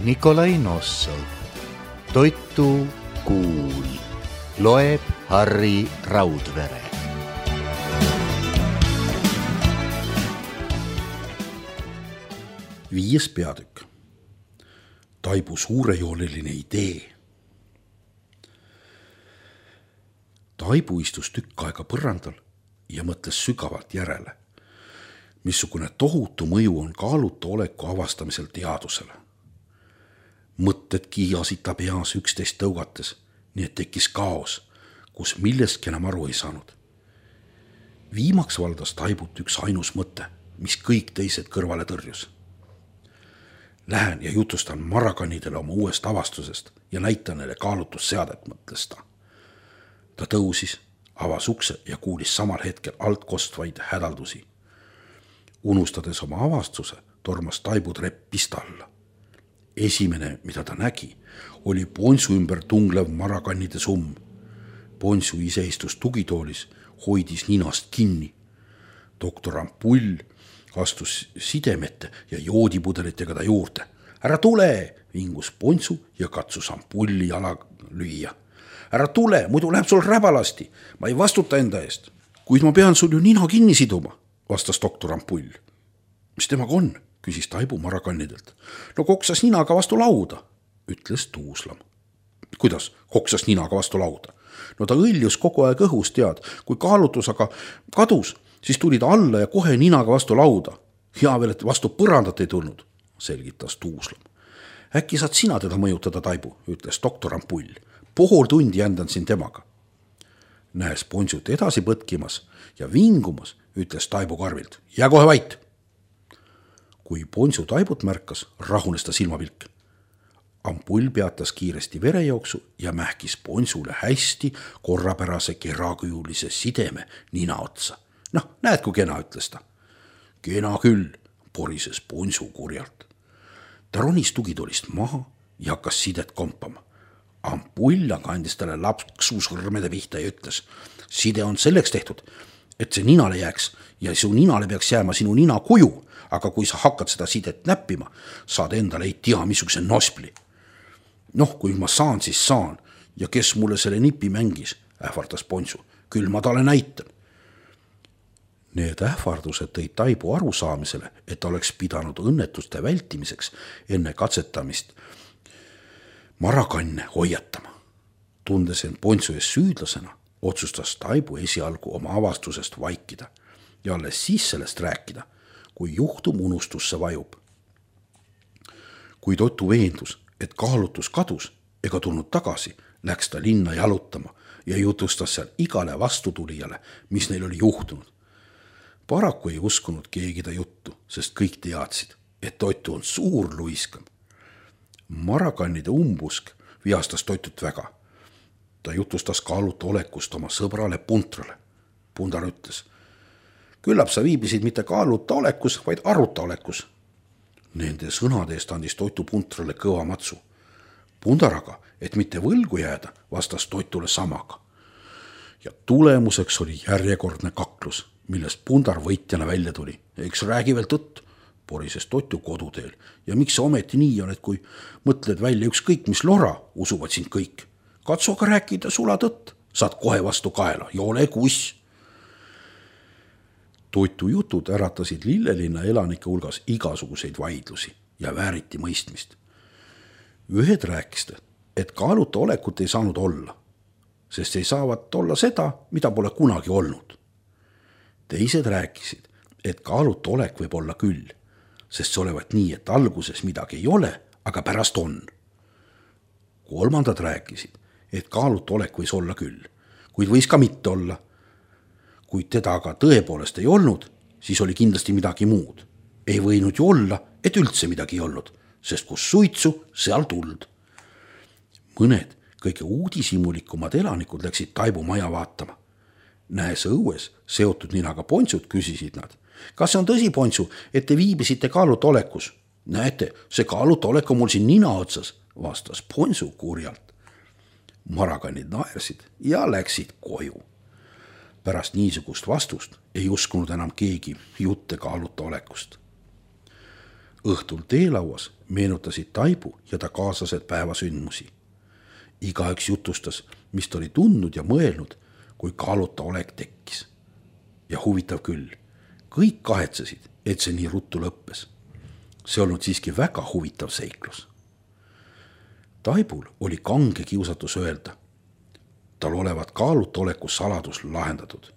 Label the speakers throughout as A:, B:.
A: Nikolai Nossov. Toitu kuul. Loeb Harri Raudvere.
B: Viies peatükk. Taibu suurejooneline idee. Taibu istus tükk aega põrandal ja mõtles sügavalt järele, missugune tohutu mõju on kaaluta oleku avastamisel teadusele. Mõtted kiiasid ta peas üksteist tõugates, nii et tekkis kaos, kus millestki enam aru ei saanud. Viimaks valdas Taibut üks ainus mõte, mis kõik teised kõrvale tõrjus. Lähen ja jutustan marakanidele oma uuest avastusest ja näitan neile kaalutusseadet, mõtles ta. Ta tõusis, avas ukse ja kuulis samal hetkel alt kostvaid hädaldusi. Unustades oma avastuse, tormas Taibu trepp pista alla. Esimene, mida ta nägi, oli Ponsu ümber tunglev marakannide summ. Ponsu ise istus tugitoolis, hoidis ninast kinni. Doktor Ampull astus sidemete ja joodipudelitega ta juurde. Ära tule, vingus Ponsu ja katsus Ampulli jala lüüa. Ära tule, muidu läheb sul räbalasti. Ma ei vastuta enda eest. Kuid ma pean sul ju nina kinni siduma, vastas doktor Ampull. Mis temaga on? Küsis Taibu marakannidelt. No koksas ninaga vastu lauda, ütles Tuuslam. Kuidas koksas ninaga vastu lauda? No ta õljus kogu aeg õhus, tead. Kui kaalutus aga kadus, siis tuli ta alla ja kohe ninaga vastu lauda. Hea veel, et vastu põrandat ei tulnud, selgitas Tuuslam. Äkki saad sina teda mõjutada, Taibu, ütles doktor Ampull. Pool tundi jändan siin temaga. Näes Ponsut edasi põtkimas ja vingumas, ütles Taibu karvilt. Jää kohe vait! Kui Ponsu Taibut märkas, rahunes ta silmapilk. Ampull peatas kiiresti verejooksu ja mähkis Ponsule hästi korrapärase kerakujulise sideme nina otsa. Noh, näed kui kena, ütles ta. Kena küll, porises Ponsu kurjalt. Ta ronis tugitolist maha ja hakkas sidet kompama. Ampull aga andis talle lapsu sõrmede pihta ja ütles, side on selleks tehtud, et see ninale jääks ja su ninale peaks jääma sinu nina kuju, aga kui sa hakkad seda sidet näppima, saad endale ei tea missuguse nospli. Noh, kui ma saan, siis saan ja kes mulle selle nipi mängis, ähvardas Ponsu, küll ma talle näitan. Need ähvardused tõid Taibu arusaamisele, et ta oleks pidanud õnnetuste vältimiseks enne katsetamist marakanne hoiatama. Tundes end Ponsu ees süüdlasena, otsustas Taibu esialgu oma avastusest vaikida ja alles siis sellest rääkida, kui juhtum unustusse vajub. Kui Totu veendus, et kaalutus kadus ega tulnud tagasi, läks ta linna jalutama ja jutustas seal igale vastutulijale, mis neil oli juhtunud. Paraku ei uskunud keegi ta juttu, sest kõik teadsid, et Totu on suur luiskam. Marakannide umbusk vihastas Totut väga. Ta jutustas kaaluta olekust oma sõbrale Puntrale. Pundar ütles, küllap sa viibisid mitte kaaluta olekus, vaid aruta olekus. Nende sõnade eest andis Totu Puntrale kõva matsu. Pundar aga, et mitte võlgu jääda, vastas Totule samaga. Ja tulemuseks oli järjekordne kaklus, millest Pundar võitjana välja tuli. Eks räägi veel tõtt, porises Totu koduteel. Ja miks sa ometi nii on, et kui mõtled välja ükskõik mis lora, usuvad sind kõik. Katsu aga rääkida sula tõtt, saad kohe vastu kaela ja ole kuss. Totu jutud äratasid Lillelinna elanike hulgas igasuguseid vaidlusi ja vääriti mõistmist. Ühed rääkisid, et kaaluta olekut ei saanud olla, sest ei saavat olla seda, mida pole kunagi olnud. Teised rääkisid, et kaaluta olek võib olla küll, sest see olevat nii, et alguses midagi ei ole, aga pärast on. Kolmandad rääkisid, et kaaluta olek võis olla küll, kuid võis ka mitte olla. Kuid teda aga tõepoolest ei olnud, siis oli kindlasti midagi muud. Ei võinud ju olla, et üldse midagi ei olnud, sest kus suitsu, seal tuld. Mõned kõige uudishimulikumad elanikud läksid Taibu maja vaatama. Näes õues seotud ninaga Ponsut, küsisid nad. Kas see on tõsi, Ponsu, et te viibisite kaaluta olekus? Näete, see kaaluta olek on mul siin nina otsas, vastas Ponsu kurjalt. Marakannid naersid ja läksid koju. Pärast niisugust vastust ei uskunud enam keegi jutte kaaluta olekust. õhtul teelauas meenutasid Taibu ja ta kaaslased päevasündmusi. Igaüks jutustas, mis ta oli tundnud ja mõelnud, kui kaaluta olek tekkis. Ja huvitav küll, kõik kahetsesid, et see nii ruttu lõppes. See olnud siiski väga huvitav seiklus. Taibul oli kange kiusatus öelda. Tal olevat kaaluta oleku saladus lahendatud.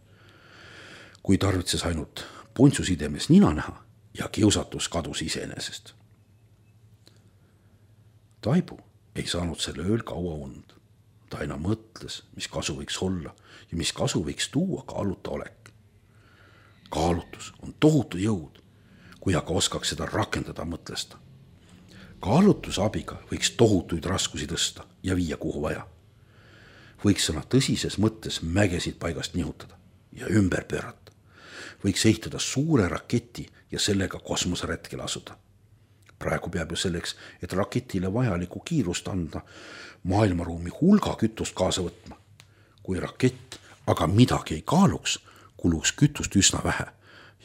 B: Kui tarvitses ainult puntsusidemes nina näha ja kiusatus kadus iseenesest. Taibu ei saanud selle ööl kaua und. Ta aina mõtles, mis kasu võiks olla ja mis kasu võiks tuua kaaluta olek. Kaalutus on tohutu jõud, kui aga oskaks seda rakendada, mõtles ta. Kaalutuse abiga võiks tohutuid raskusi tõsta ja viia kuhu vaja. Võiks sõna tõsises mõttes mägesid paigast nihutada ja ümber pöörata. Võiks ehitada suure raketi ja sellega kosmoseretkele asuda. Praegu peab ju selleks, et raketile vajaliku kiirust anda, maailmaruumi hulga kütust kaasa võtma. Kui rakett aga midagi ei kaaluks, kuluks kütust üsna vähe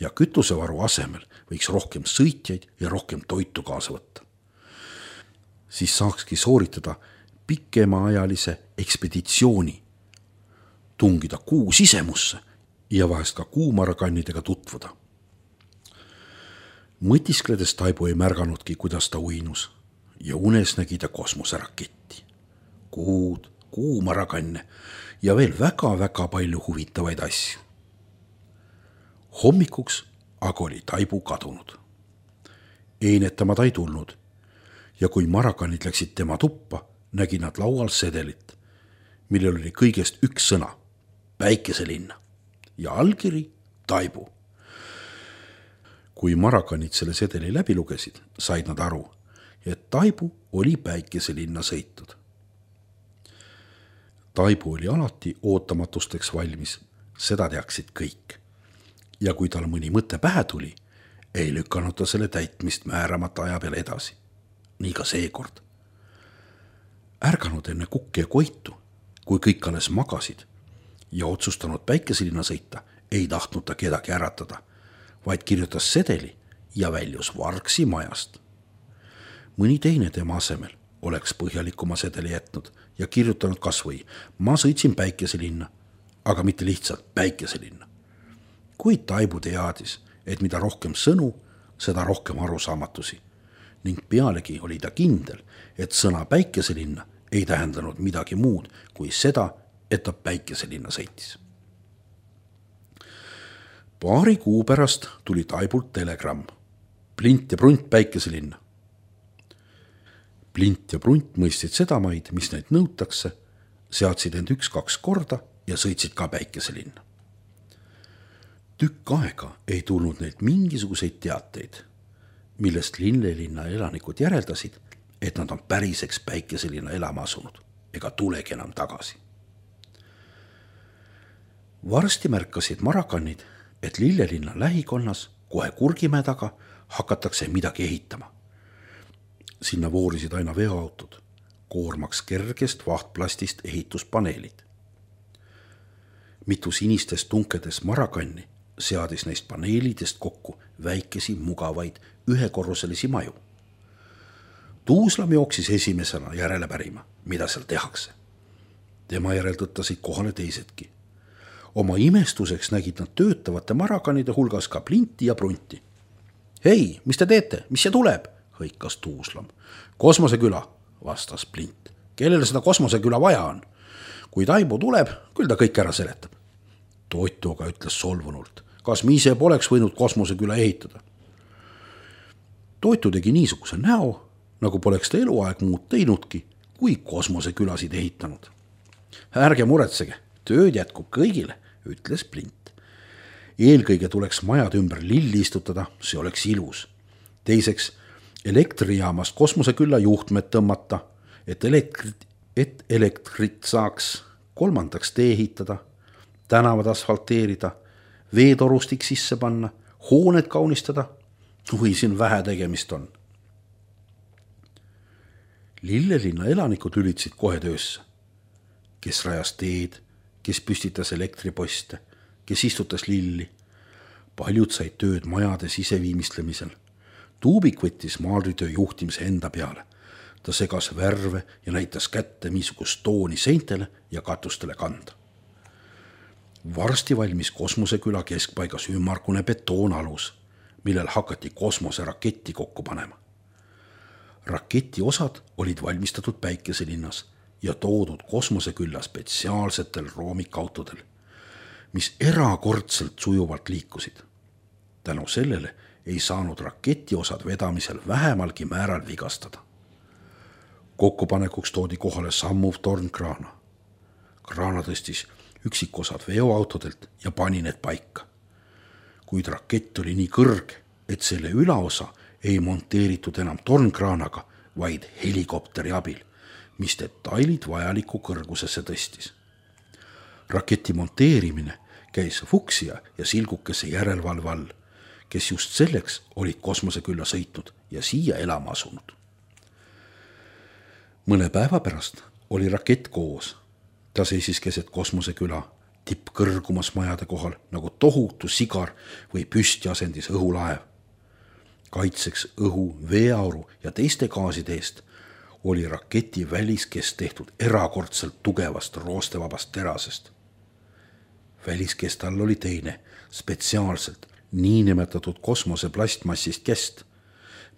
B: ja kütusevaru asemel võiks rohkem sõitjaid ja rohkem toitu kaasa võtta. Siis saakski sooritada pikemaajalise ekspeditsiooni, tungida kuu sisemusse ja vahest ka kuumarakannidega tutvuda. Mõtiskledes Taibu ei märganudki, kuidas ta uinus ja unes nägi ta kosmoseraketti, kuud, kuumarakanne ja veel väga-väga palju huvitavaid asju. Hommikuks aga oli Taibu kadunud. Einetama ta ei tulnud ja kui marakannid läksid tema tuppa, nägi nad laual sedelit, millel oli kõigest üks sõna, Päikeselinna ja allkiri Taibu. Kui marakannid selle sedeli läbi lugesid, said nad aru, et Taibu oli Päikeselinna sõitud. Taibu oli alati ootamatusteks valmis, seda teaksid kõik. Ja kui tal mõni mõte pähe tuli, ei lükanud ta selle täitmist määramata aja peale edasi. Nii ka seekord. Ärganud enne Kukki ja Koitu, kui kõik alles magasid ja otsustanud Päikeselinna sõita, ei tahtnud ta kedagi äratada, vaid kirjutas sedeli ja väljus Vargsi majast. Mõni teine tema asemel oleks põhjalikuma sedeli jätnud ja kirjutanud kasvõi ma sõitsin Päikeselinna, aga mitte lihtsalt Päikeselinna. Kuid Taibu teadis, et mida rohkem sõnu, seda rohkem arusaamatusi ning pealegi oli ta kindel, et sõna Päikeselinna ei tähendanud midagi muud kui seda, et ta Päikeselinna sõitis. Paari kuu pärast tuli Taibult telegramm. Plint ja Prunt Päikeselinna. Plint ja Prunt mõistsid sedamaid, mis neid nõutakse, seadsid end 1-2 korda ja sõitsid ka Päikeselinna. Tükk aega ei tulnud neilt mingisuguseid teateid, millest Lillelinna elanikud järeldasid, et nad on päriseks Päikeselinna elama asunud ega tulegi enam tagasi. Varsti märkasid marakannid, et Lillelinna lähikonnas kohe Kurgimäe taga hakatakse midagi ehitama. Sinna voorisid aina veoautod, koormaks kergest vahtplastist ehituspaneelid. Mitu sinistest tunkedes marakanni seadis neist paneelidest kokku väikesi, mugavaid, ühekorruselisi maju. Tuuslam jooksis esimesena järele pärima, mida seal tehakse. Tema järel tõttasid kohale teisedki. Oma imestuseks nägid nad töötavate marakanide hulgas ka Plinti ja Prunti. Hei, mis te teete? Mis see tuleb? Hõikas Tuuslam. Kosmoseküla, vastas Plint. Kellele seda kosmoseküla vaja on? Kui Taibu tuleb, küll ta kõik ära seletab. Toitu aga ütles solvunult. Kas me ise poleks võinud kosmoseküla ehitada? Toitu tegi niisuguse näo, nagu poleks ta eluaeg muud teinudki, kui kosmosekülasid ehitanud. Ärge muretsege, tööd jätkub kõigile, ütles Plint. Eelkõige tuleks majad ümber lilli istutada, see oleks ilus. Teiseks, elektrijaamast kosmosekülla juhtmed tõmmata, et elektrit saaks. Kolmandaks tee ehitada, tänavad asfalteerida, veetorustik sisse panna, hooned kaunistada. Või siin vähe tegemist on. Lillelinna elanikud lülitsid kohe töösse. Kes rajas teed, kes püstitas elektriposte, kes istutas lilli. Paljud said tööd majade siseviimistlemisel. Tuubik võttis maalritöö juhtimise enda peale. Ta segas värve ja näitas kätte, missugust tooni seintele ja katustele kanda. Varsti valmis kosmoseküla keskpaigas ümmargune betoonalus, millel hakati kosmoseraketti kokku panema. Raketi osad olid valmistatud Päikeselinnas ja toodud kosmosekülla spetsiaalsetel roomikautodel, mis erakordselt sujuvalt liikusid. Tänu sellele ei saanud raketi osad vedamisel vähemalgi määral vigastada. Kokkupanekuks toodi kohale sammuv tornkraana. Kraana tõstis üksikosad veoautodelt ja pani need paika. Kuid rakett oli nii kõrge, et selle ülaosa ei monteeritud enam tornkraanaga, vaid helikopteri abil, mis detailid vajaliku kõrgusesse tõstis. Raketi monteerimine käis Fuchsia ja Silgukese järelevalve all, kes just selleks olid kosmosekülla sõitnud ja siia elama asunud. Mõne päeva pärast oli rakett koos. Ta seisis keset kosmoseküla, tippkõrgumas majade kohal nagu tohutu sigar või püstiasendis õhulaev. Kaitseks õhu, veeauru ja teiste gaaside eest oli raketi väliskest tehtud erakordselt tugevast roostevabast terasest. Väliskest all oli teine, spetsiaalselt niinimetatud kosmose plastmassist kest,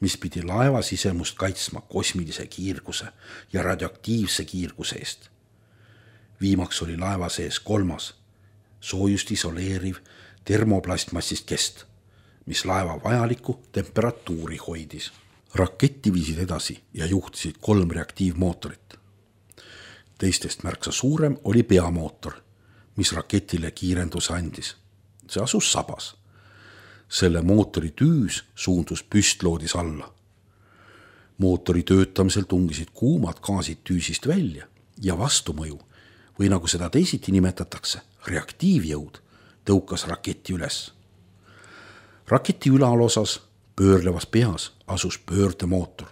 B: mis pidi laeva sisemust kaitsma kosmilise kiirguse ja radioaktiivse kiirguse eest. Viimaks oli laeva sees kolmas, soojust isoleeriv termoplastmassist kest, mis laeva vajalikku temperatuuri hoidis. Raketti viisid edasi ja juhtisid 3 reaktiivmootorit. Teistest märksa suurem oli peamootor, mis raketile kiirenduse andis. See asus sabas. Selle mootori tüüs suundus püstloodis alla. Mootori töötamisel tungisid kuumad gaasid tüüsist välja ja vastumõju, või nagu seda teisiti nimetatakse, reaktiivjõud, tõukas raketi üles. Raketi ülalosas pöörlevas peas asus pöördemootor.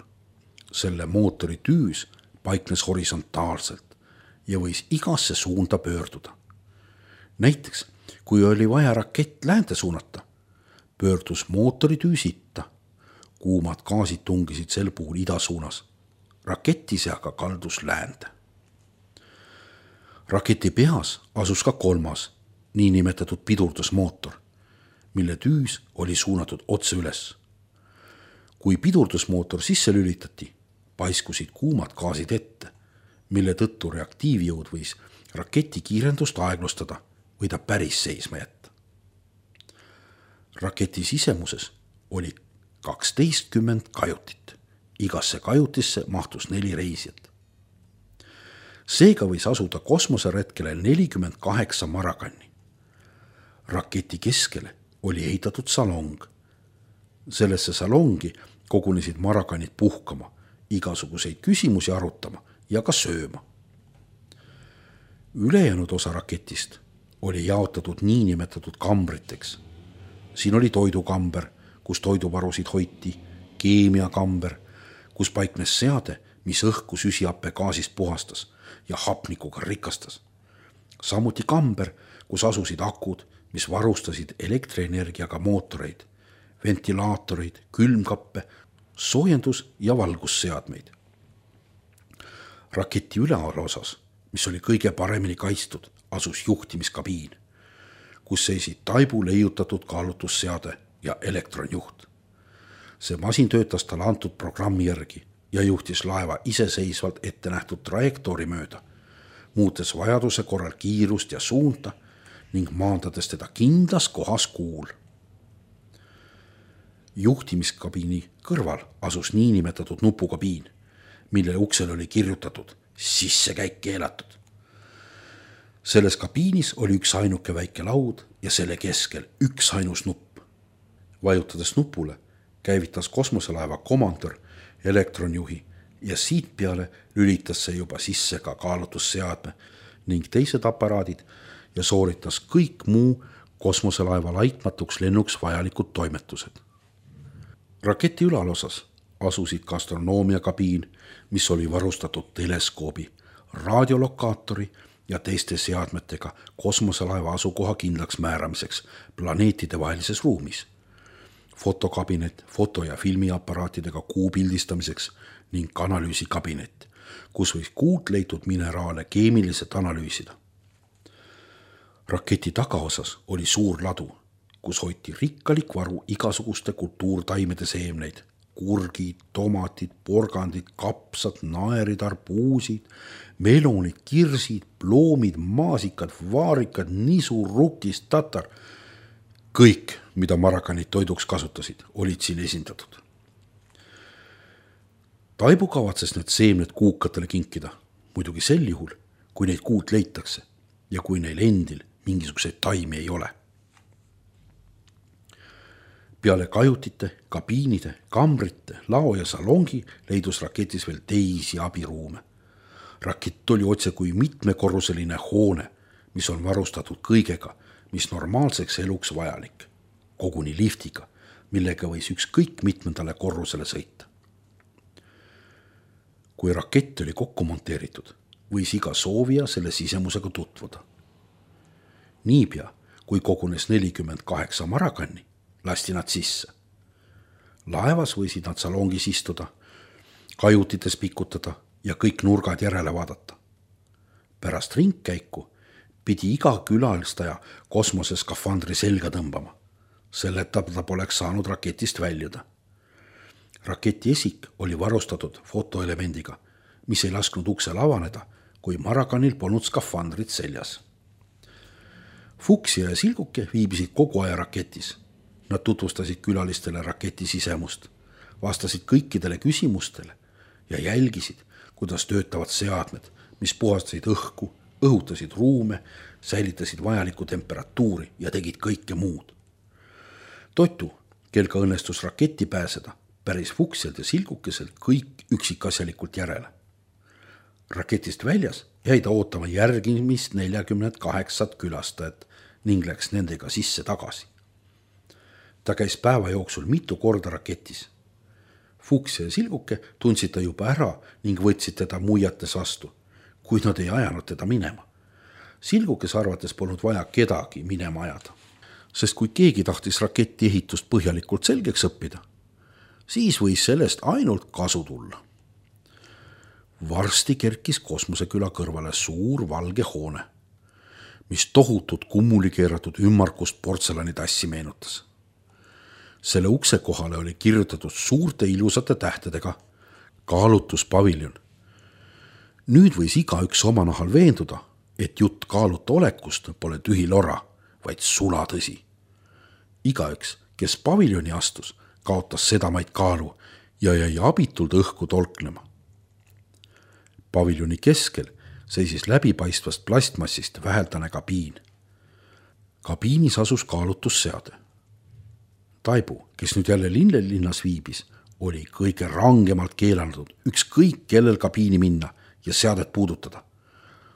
B: Selle mootori tüüs paiknes horisontaalselt ja võis igasse suunda pöörduda. Näiteks, kui oli vaja rakett läände suunata, pöördus mootori tüüs itta. Kuumad gaasid tungisid sel puhul ida suunas. Rakett ise aga kaldus läände. Raketi peas asus ka kolmas, niinimetatud pidurdusmootor, mille tüüs oli suunatud otse üles. Kui pidurdusmootor sisse lülitati, paiskusid kuumad gaasid ette, mille tõttu reaktiivjõud võis raketi kiirendust aeglustada või ta päris seisma jätta. Raketi sisemuses oli 12 kajutit. Igasse kajutisse mahtus 4 reisijat. Seega võis asuda kosmoseretkele 48 marakanni. Raketi keskele oli ehitatud salong. Sellesse salongi kogunesid marakanid puhkama, igasuguseid küsimusi arutama ja ka sööma. Ülejäänud osa raketist oli jaotatud niinimetatud kambriteks. Siin oli toidukamber, kus toiduvarusid hoiti, keemiakamber, kus paiknes seade, mis õhku süsihappegaasist puhastas ja hapnikuga rikastas. Samuti kamber, kus asusid akud, mis varustasid elektrienergiaga mootoreid, ventilaatoreid, külmkappe, soojendus- ja valgusseadmeid. Raketi üleosas, mis oli kõige paremini kaitstud, asus juhtimiskabiin, kus seisid taibu leiutatud kaalutusseade ja elektronjuht. See masin töötas talle antud programmi järgi ja juhtis laeva iseseisvalt ette nähtud trajektoori mööda, muutes vajaduse korral kiirust ja suunta ning maandades teda kindlas kohas kuul. Juhtimiskabiini kõrval asus niinimetatud nupukabiin, mille uksel oli kirjutatud sissekäik keelatud. Selles kabiinis oli üks ainuke väike laud ja selle keskel üks ainus nupp. Vajutades nupule käivitas kosmoselaeva komandör elektronjuhi ja siit peale lülitas see juba sisse ka kaalutusseadme ning teised aparaadid ja sooritas kõik muu kosmoselaeva laitmatuks lennuks vajalikud toimetused. Raketi ülalosas asusid ka astronoomiakabiin, mis oli varustatud teleskoobi, raadiolokaatori ja teiste seadmetega kosmoselaeva asukoha kindlaks määramiseks planeetide vahelises ruumis. fotokabinet foto- ja filmiaparaatidega kuu pildistamiseks ning analüüsikabinet, kus võis kuult leitud mineraale keemiliselt analüüsida. Raketi tagaosas oli suur ladu, kus hoiti rikkalik varu igasuguste kultuurtaimede seemneid, kurgid, tomatid, porgandid, kapsad, naerid, arbuusid, melonid, kirsid, ploomid, maasikad, vaarikad, nisu, rukis, tatar. Kõik, mida marakanid toiduks kasutasid, olid siin esindatud. Taibu kavatses need seemned kuukatele kinkida, muidugi sel juhul, kui neid kuult leitakse ja kui neil endil mingisuguseid taimi ei ole. Peale kajutite, kabiinide, kambrite, lao ja salongi leidus raketis veel teisi abiruume. Rakett oli otse kui mitmekorruseline hoone, mis on varustatud kõigega, mis normaalseks eluks vajalik, koguni liftiga, millega võis ükskõik mitmendale korrusele sõita. Kui rakett oli kokku monteeritud, võis iga soovija selle sisemusega tutvuda. Niipea, kui kogunes 48 marakanni, lasti nad sisse. Laevas võisid nad salongis istuda, kajutites pikutada ja kõik nurgad järele vaadata. Pärast ringkäiku pidi iga külalistaja kosmoseskafandri selga tõmbama. Selleta ta poleks saanud raketist väljuda. Raketi esik oli varustatud fotoelemendiga, mis ei lasknud uksel avaneda, kui marakanil polnud skafandrit seljas. Fuchsia ja Silguke viibisid kogu aja raketis. Nad tutvustasid külalistele raketi sisemust, vastasid kõikidele küsimustele ja jälgisid, kuidas töötavad seadmed, mis puhastasid õhku, õhutasid ruume, säilitasid vajalikku temperatuuri ja tegid kõike muud. Totu, kel ka õnnestus raketti pääseda, päris Fuchsialt ja Silgukeselt kõik üksikasjalikult järele. Raketist väljas jäi ta ootama järgimist 48 külastajat ning läks nendega sisse tagasi. Ta käis päeva jooksul mitu korda raketis. Fuchsia ja Silguke tundsid ta juba ära ning võtsid teda muiates vastu, kuid nad ei ajanud teda minema. Silgukes arvates polnud vaja kedagi minema ajada, sest kui keegi tahtis raketi ehitust põhjalikult selgeks õppida, siis võis sellest ainult kasu tulla. Varsti kerkis kosmoseküla kõrvale suur valge hoone, mis tohutut kummuli keeratud ümmarkust portselanitassi meenutas. Selle ukse kohale oli kirjutatud suurte ilusate tähtedega kaalutuspaviljon. Nüüd võis igaüks oma nahal veenduda, et jutt kaaluta olekust pole tühi lora, vaid sulatõsi. Igaüks, kes paviljoni astus, kaotas sedamaid kaalu ja jäi abitult õhku tolknema. Paviljoni keskel seisis läbipaistvast plastmassist väheldane kabiin. Kabiinis asus kaalutusseade. Taibu, kes nüüd jälle linnas viibis, oli kõige rangemalt keelanud ükskõik kellel kabiini minna ja seadet puudutada.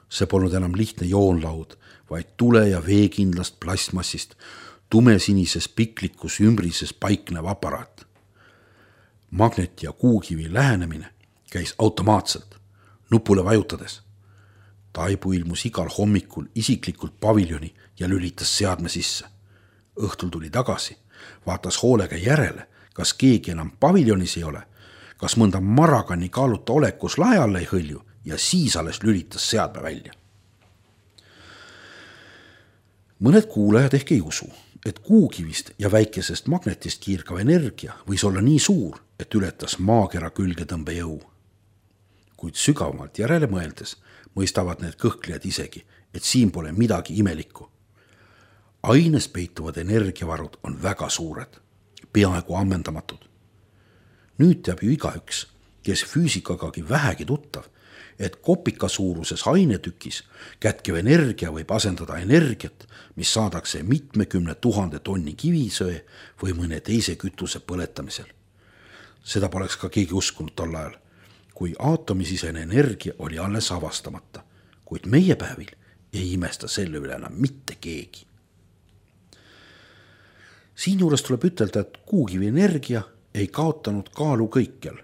B: See polnud enam lihtne joonlaud, vaid tule ja veekindlast plastmassist, tumesinises piklikus ümbrises paiknev aparaat. Magneti ja kuukivi lähenemine käis automaatselt, nupule vajutades. Taibu ilmus igal hommikul isiklikult paviljoni ja lülitas seadme sisse. Õhtul tuli tagasi, vaatas hoolega järele, kas keegi enam paviljonis ei ole, kas mõnda marakani kaaluta olekus lae alla ei hõlju ja siis alles lülitas seadme välja. Mõned kuulajad ehk ei usu, et kuukivist ja väikesest magnetist kiirgav energia võis olla nii suur, et ületas maakera külgetõmbe jõu. Kuid sügavamalt järele mõeldes mõistavad need kõhklejad isegi, et siin pole midagi imelikku. Aines peituvad energiavarud on väga suured, peaaegu ammendamatud. Nüüd teab ju igaüks, kes füüsikagagi vähegi tuttav, et kopika suuruses ainetükis kätkev energia võib asendada energiat, mis saadakse mitmekümne 1000 tonni kivisöe või mõne teise kütuse põletamisel. Seda poleks ka keegi uskunud tol ajal, kui aatomisisene energia oli alles avastamata, kuid meie päevil ei imesta selle üle enam mitte keegi. Siinjuures tuleb ütelda, et kuukivi energia ei kaotanud kaalu kõikjal,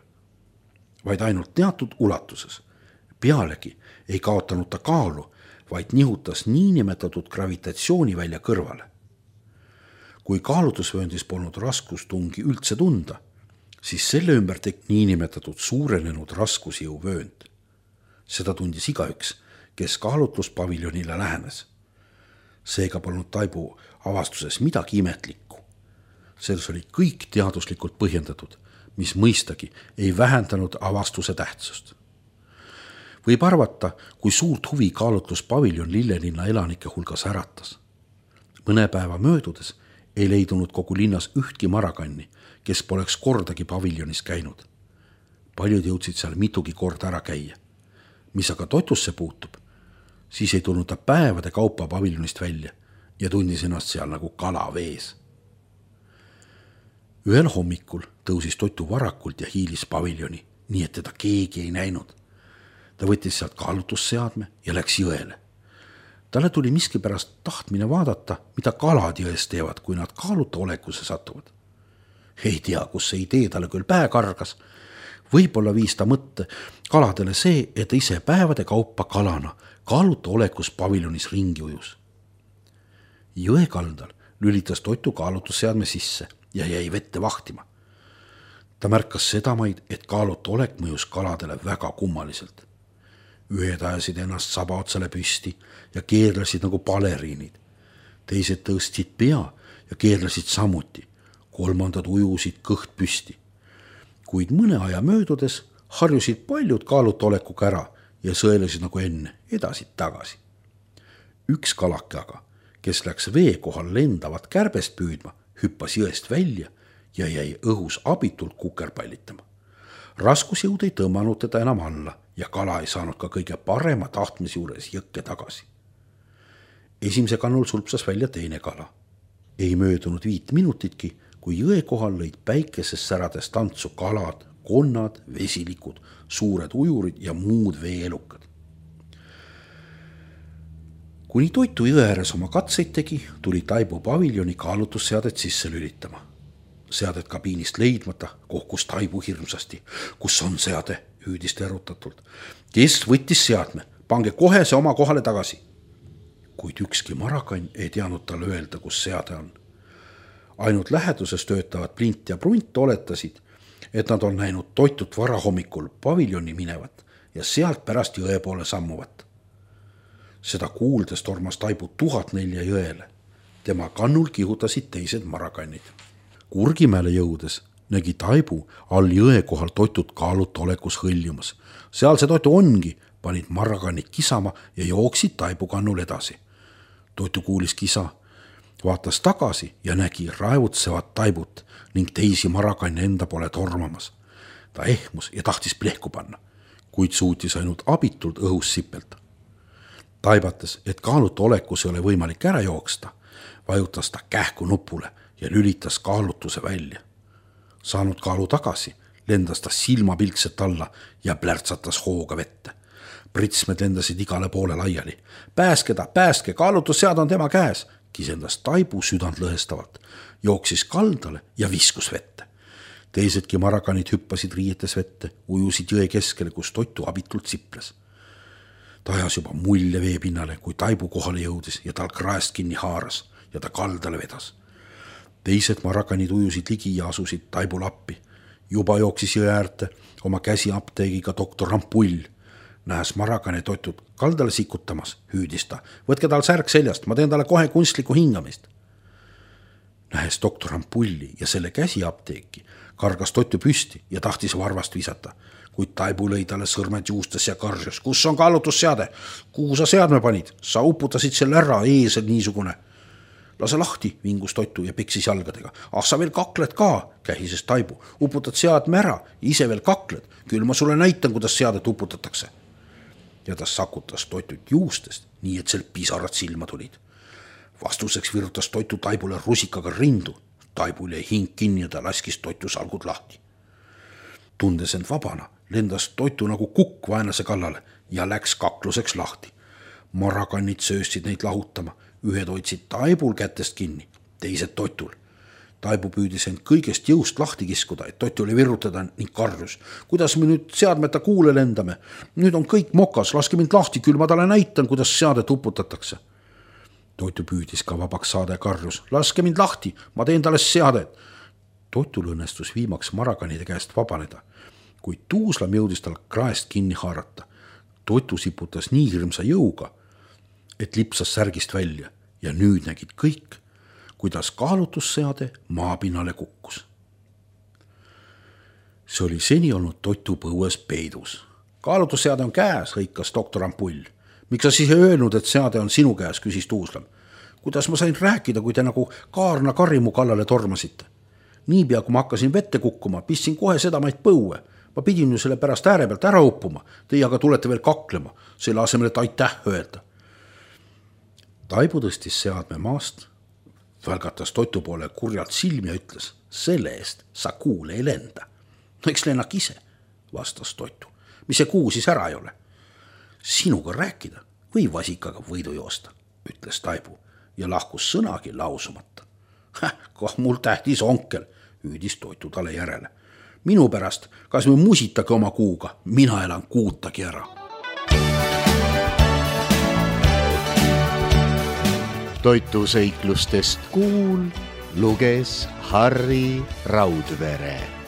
B: vaid ainult teatud ulatuses. Pealegi ei kaotanud ta kaalu, vaid nihutas niinimetatud gravitatsiooni välja kõrvale. kui kaalutlusvööndis polnud raskustungi üldse tunda, siis selle ümber tekkis niinimetatud suurenenud raskusjõuvöönd. Seda tundis igaüks, kes kaalutluspaviljonile lähenes. Seega polnud Taibu avastuses midagi imetlikku. Selles oli kõik teaduslikult põhjendatud, mis mõistagi ei vähendanud avastuse tähtsust. Võib arvata, kui suurt huvi kaalutluspaviljon Lillelinna elanike hulgas äratas. Mõne päeva möödudes ei leidunud kogu linnas ühtki marakanni, kes poleks kordagi paviljonis käinud. Paljud jõudsid seal mitugi korda ära käia. Mis aga toitusse puutub, siis ei tulnud ta päevade kaupa paviljonist välja ja tundis ennast seal nagu kala vees. Ühel hommikul tõusis Toitu varakult ja hiilis paviljoni, nii et teda keegi ei näinud. Ta võttis sealt kaalutlusseadme ja läks jõele. Talle tuli miskipärast tahtmine vaadata, mida kalad jões teevad, kui nad kaaluta olekusse satuvad. Ei tea, kus see idee talle küll pähe kargas. Võib-olla viis ta mõtte kaladele see, et ise päevade kaupa kalana kaaluta olekus paviljonis ringi ujus. Jõe kaldal lülitas Toitu kaalutlusseadme sisse ja jäi vette vahtima. Ta märkas sedamaid, et kaaluta olek mõjus kaladele väga kummaliselt. Ühed ajasid ennast saba otsale püsti ja keerlesid nagu baleriinid. Teised tõstsid pea ja keerlesid samuti. Kolmandad ujusid kõht püsti. Kuid mõne aja möödudes harjusid paljud kaaluta olekuga ära ja sõelesid nagu enne edasi-tagasi. Üks kalake aga, kes läks vee kohal lendavat kärbest püüdma, hüppas jõest välja ja jäi õhus abitult kukerpallitama. Raskusjõud ei tõmmanud teda enam alla ja kala ei saanud ka kõige parema tahtmise juures jõkke tagasi. Esimese kannul sulpsas välja teine kala. Ei möödunud 5 minutitki, kui jõe kohal lõid päikeses särades tantsu kalad, konnad, vesilikud, suured ujurid ja muud veeelukad. Kuni Toitu jõe ääres oma katseid tegi, tuli Taibu paviljoni kaalutlusseadet sisse lülitama. Seadet kabiinist leidmata kohkus Taibu hirmsasti. Kus on seade? Hüüdis ta erutatult. Kes võttis seadme? Pange kohe see oma kohale tagasi. Kuid ükski marakann ei teadnud talle öelda, kus seade on. Ainult läheduses töötavad Plint ja Prunt oletasid, et nad on näinud Toitut varahommikul paviljoni minevat ja sealt pärast jõe poole sammuvat. Seda kuuldes tormas Taibu 1004 jõele. Tema kannul kihutasid teised marakannid. Kurgimäele jõudes nägi Taibu all jõe kohal Toitut kaaluta olekus hõljumas. Seal see Toitu ongi, panid marakannid kisama ja jooksid Taibu kannul edasi. Toitu kuulis kisa, vaatas tagasi ja nägi raevutsevat Taibut ning teisi marakanne enda poole tormamas. Ta ehmus ja tahtis plehku panna, kuid suutis ainult abitult õhus sipelda. Taibates, et kaaluta olekus ei ole võimalik ära jooksta, vajutas ta kähku nupule ja lülitas kaalutuse välja. Saanud kaalu tagasi, lendas ta silmapilkset alla ja plärtsatas hooga vette. Pritsmed lendasid igale poole laiali. Pääske, kaalutussead on tema käes, kisendas Taibu südant lõhestavalt, jooksis kaldale ja viskus vette. Teisedki marakanid hüppasid riietes vette, ujusid jõe keskele, kus Toitu abitult siples. Ta ajas juba mulje veepinnale, kui Taibu kohale jõudis ja tal kraest kinni haaras ja ta kaldale vedas. Teised marakanid ujusid ligi ja asusid Taibul appi. Juba jooksis jõe äärte oma käsi apteegiga doktor Rampull. Nähes marakane Toitut kaldale sikutamas, hüüdis ta. Võtke tal särk seljast, ma teen talle kohe kunstlikku hingamist. Nähes doktor Rampulli ja selle käsi apteeki, kargas Toitu püsti ja tahtis varvast visata. Kuid Taibu lõi talle sõrmed juustes ja karjus. Kus on kaalutlusseade? Kuhu sa seadme panid? Sa uputasid selle ära, eesel niisugune. Lase lahti, vingus Toitu ja peksis jalgadega. Sa veel kakled ka, kähises Taibu. Uputad seadme ära, ise veel kakled. Küll ma sulle näitan, kuidas seadet uputatakse. Ja ta sakutas Toitut juustest, nii et sealt pisarad silma tulid. Vastuseks virutas Toitu Taibule rusikaga rindu. Taibul jäi hing kinni ja ta laskis Toitu salgud lahti. Tundes end vabana, lendas Toitu nagu kukk vaenlase kallale ja läks kakluseks lahti. Marakannid sööstsid neid lahutama. Ühed hoidsid Taibul kätest kinni, teised Toitul. Taibu püüdis end kõigest jõust lahti kiskuda, et Toitule virutada ning karjus. Kuidas me nüüd seadmeta kuule lendame? Nüüd on kõik mokas, laske mind lahti, küll ma talle näitan, kuidas seadet uputatakse. Toitu püüdis ka vabaks saada ja karjus: laske mind lahti, ma teen talle seadet. Toitul õnnestus viimaks marakanide käest vabaneda, kuid Tuuslam jõudis tal kraest kinni haarata. Toitu siputas nii hirmsa jõuga, et lipsas särgist välja ja nüüd nägid kõik, kuidas kaalutusseade maapinnale kukkus. See oli seni olnud Toitu põues peidus. Kaalutusseade on käes, hõikas doktor Ampull. Miks sa siis ei öelnud, et seade on sinu käes, küsis Tuuslam. Kuidas ma sain rääkida, kui te nagu kaarna karrimu kallale tormasite? Niipea, kui ma hakkasin vette kukkuma, pistsin kohe sedamaid põue. Ma pidin ju selle pärast ääre pealt ära uppuma. Teie aga tulete veel kaklema, selle asemel, et aitäh öelda. Taibu tõstis seadme maast, välgatas Toitu poole kurjalt silmi ja ütles: selle eest sa kuule ei lenda. No eks lennak ise, vastas Toitu. Mis see kuu siis ära ei ole? Sinuga rääkida või vasikaga võidu joosta, ütles Taibu ja lahkus sõnagi lausumata. Kah mul tähtis onkel, hüüdis Toitu talle järele. Minu pärast, kas me musitage oma kuuga, mina elan kuutagi ära.
A: Toitu seiklustest Kuul luges Harri Raudvere.